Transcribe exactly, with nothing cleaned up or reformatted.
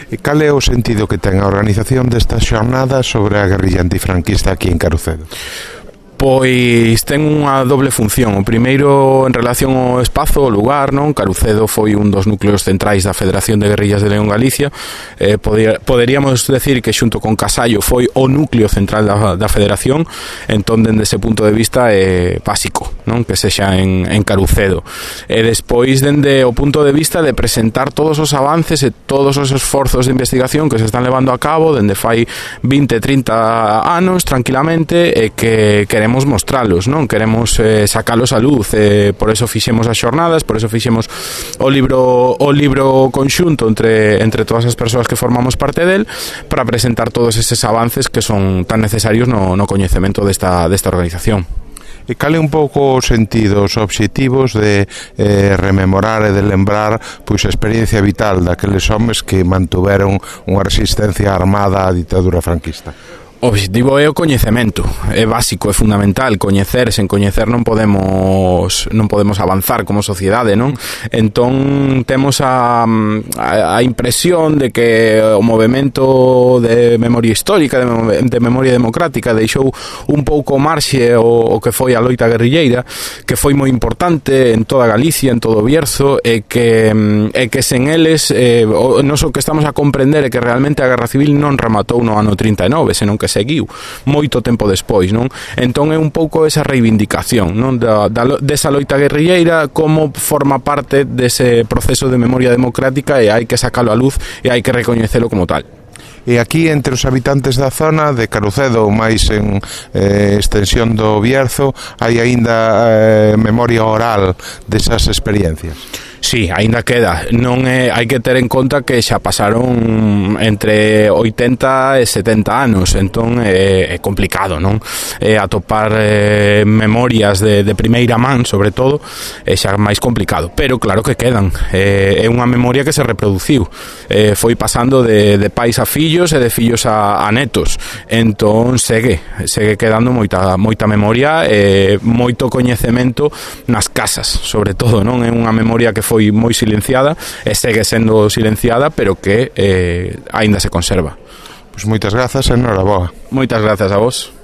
E cal é o sentido que ten a organización desta xornada sobre a guerrilla antifranquista aquí en Carucedo? Pois ten unha doble función. O primeiro en relación ao espazo, o lugar, non? Carucedo foi un dos núcleos centrais da Federación de Guerrillas de León Galicia. Eh, poder, poderíamos decir que xunto con Casallo foi o núcleo central da, da Federación. Entón, dende ese punto de vista é básico, non? Que sexa en, en Carucedo. E despois, dende o punto de vista de presentar todos os avances e todos os esforzos de investigación que se están levando a cabo dende fai vinte, trinta anos tranquilamente e que queremos mostralos, non? Queremos eh, sacalos a luz, eh, por eso fixemos as xornadas, por eso fixemos o libro o libro conxunto entre entre todas as persoas que formamos parte del, para presentar todos eses avances que son tan necesarios no, no coñecemento desta, desta organización. E cal é un pouco os sentidos, os obxectivos de eh, rememorar e de lembrar pois a experiencia vital daqueles homes que mantuveron unha resistencia armada á ditadura franquista? O obxectivo é o coñecemento, é básico, é fundamental. Coñecer, sen coñecer non podemos non podemos avanzar como sociedade, non? Entón temos a, a, a impresión de que o movemento de memoria histórica, de, de memoria democrática, deixou un pouco marxe o, o que foi a loita guerrilleira, que foi moi importante en toda Galicia, en todo o Bierzo, e que, e que sen eles eh, o, non só que estamos a comprender é que realmente a Guerra Civil non rematou no ano trinta e nove, senón que seguiu moito tempo despois, non? Entón é un pouco esa reivindicación, non? Da, da, desa loita guerrilleira como forma parte dese proceso de memoria democrática e hai que sacalo a luz e hai que recoñecelo como tal. E aquí entre os habitantes da zona de Carucedo ou máis en eh, extensión do Bierzo hai aínda eh, memoria oral desas experiencias? Sí, aínda queda. Non é, hai que ter en conta que xa pasaron entre oitenta e setenta anos, entón é, é complicado, non? É atopar eh, memorias de, de primeira man, sobre todo, é xa máis complicado, pero claro que quedan. É, é unha memoria que se reproduciu, é, foi pasando de, de pais a fillos e de fillos a, a netos, entón segue, segue quedando moita, moita memoria e moito coñecemento nas casas, sobre todo, non? É unha memoria que foi moi silenciada e segue sendo silenciada, pero que eh, aínda se conserva. Pois moitas grazas e enhoraboa. Moitas grazas a vos.